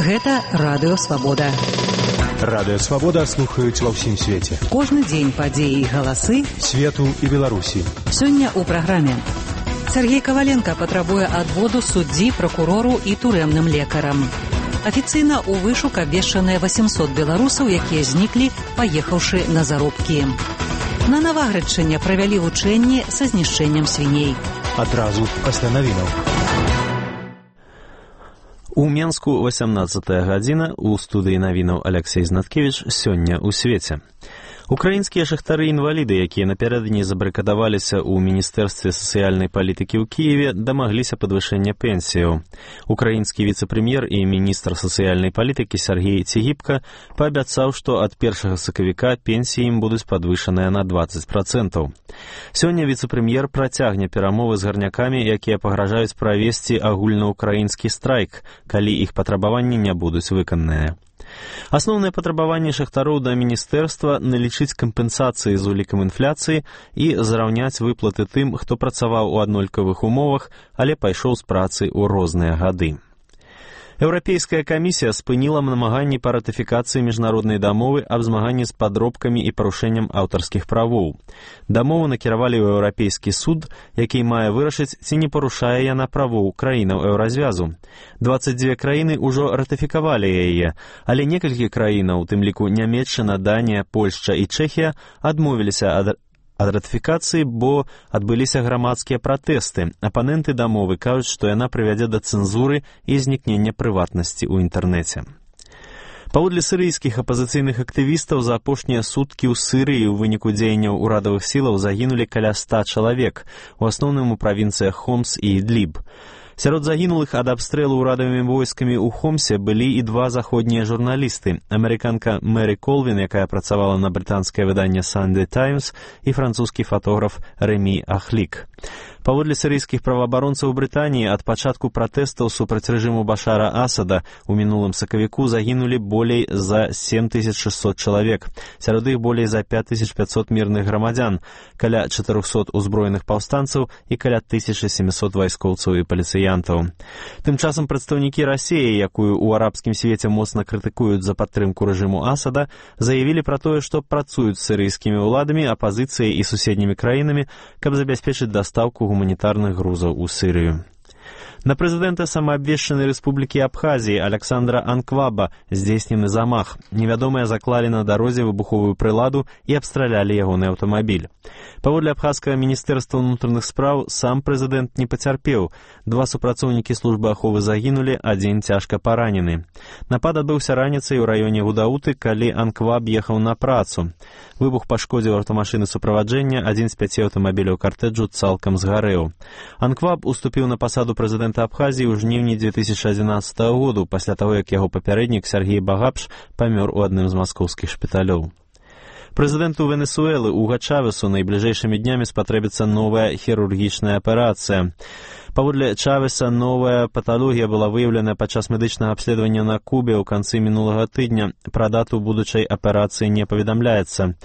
Гэта Радыё Свабода. Радыё Свабода слухаюць ва ўсім свеце. Кожны дзень падзеі і галасы свету і Беларусі. Сёння ў праграме. Сергей Коваленко патрабуе адводу суддзі, пракурору і турэмным лекарам. Афіцыйна ў вышук абвешчаныя 800 беларусаў, якія зніклі, паехаўшы на заробкі. На Наваградчыне правялі вучэнні са знішчэннем свіней. Адразу пасля навінаў. У Менску 18-я гадзіна, у студыі навінаў Алексей Знаткевіч, сёння ў свеце. Украінскія шахтары-інваліды, якія напярэдадні забарыкадаваліся ў Міністэрстве сацыяльнай палітыкі ў Кіеве, дамагліся падвышэння пенсіяў. Украінскі віцэ-прэм'ер і міністр сацыяльнай палітыкі Сергей Цігіпка паабяцаў, што ад 1 сакавіка пенсіі ім будуць падвышаныя на 20%. Сёння віцэ-прэм'ер працягне перамовы з гарнякамі, якія пагражаюць правесці агульнаўкраінскі страйк, калі іх патрабаванні не будуць выкананыя. Асноўнае патрабаванне шахтароў да міністэрства налічыць кампенсацыі з улікам інфляцыі і зараўняць выплаты тым, хто працаваў у аднолькавых умовах, але пайшоў з працы ў розныя гады. Еўрапейская камісія спыніла намаганні па ратыфікацыі міжнароднай дамовы аб змаганні з падробкамі і парушэннем аўтарскіх правоў. Дамову накіравалі ў Еўрапейскі суд, які мае вырашыць, ці не парушае яна правоў краінаў еўразвязу. 22 краіны ўжо ратыфікавалі яе, але некалькі краінаў, у тым ліку Нямецчына, Данія, Польшча і Чэхія, адмовіліся ад ратыфікацыі, бо адбыліся грамадскія пратэсты. Апаненты дамовы кажуць, што яна прывядзе да цэнзуры і знікнення прыватнасці ў інтэрнэце. Паводле сірыйскіх апазіцыйных актывістаў, за апошнія суткі ў Сірыі ў выніку дзеянняў урадавых сілаў загінулі каля 100 чалавек, у асноўным у правінцыях Хомс і Ідліб. Сярод загінулых ад абстрэлу ўрадавымі войскамі ў Хомсе былі і два заходнія журналісты, амерыканка Мэри Колвін, якая працавала на брытанскае выданне Sunday Times, і французскі фатограф Рэмі Ахлік. Паводле сірыйскіх праваабаронцаў Брытаніі, ад пачатку пратэстаў супраць рэжыму Башара Асада у мінулым сакавіку загінулі болей за 7600 чалавек, сярод іх болей за 5500 мірных грамадзян, каля 400 узброеных паўстанцаў і каля 1700 вайскоўцаў і паліцыянтаў. Тым часам прадстаўнікі Расіі, якую ў арабскім свеце моцна крытыкуюць за падтрымку рэжыму Асада, заявілі пра тое, што працуюць з сірыйскімі ўладамі, апазіцыяй і суседнімі краінамі, каб забяспечыць дастаўку гуманітарных грузаў у Сірыю. На прэзідэнта самаабвешчанай рэспублікі Абхазіі Александра Анкваба здзейснены замах. Невядомыя заклалі на дарозе выбуховую прыладу і абстралялі ягоны аўтамабіль. Паводле абхазскага міністэрства ўнутраных спраў, сам прэзідэнт не пацярпеў. Два супрацоўнікі службы аховы загінулі, адзін цяжка паранены. Напад адбыўся раніцай у раёне Гудауты, калі Анкваб ехаў на працу. Выбух пашкодзіў аўтамашыны суправаджэння, адзін з 5 аўтамабіляў картэджу цалкам згарэў. Анкваб уступіў на пасаду прэзідэнта Абхазіі ў жніўні 2011 году, пасля таго, як яго папярэднік Сергей Багапш памёр у адным з маскоўскіх шпіталёў. Прэзідэнту Венесуэлы Уга Чавесу найбліжэйшымі днямі спатрэбіцца новая хірургічная аперацыя. Паводле Чавеса, новая паталогія была выяўлена падчас медычнага абследавання на Кубе ў канцы мінулага тыдня. Пра дату будучай аперацыі не паведамляецца.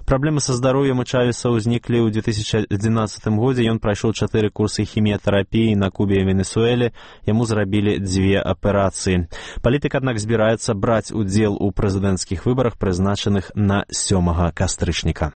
Праблемы са здароўем у Чавеса ўзніклі ў 2011 годзе. Ён прайшоў 4 курсы хіміятэрапіі на Кубе і Венесуэле. Яму зрабілі 2 аперацыі. Палітык, аднак, збіраецца браць удзел у прэзідэнцкіх выбарах, прызначаных на 7 кастрычніка.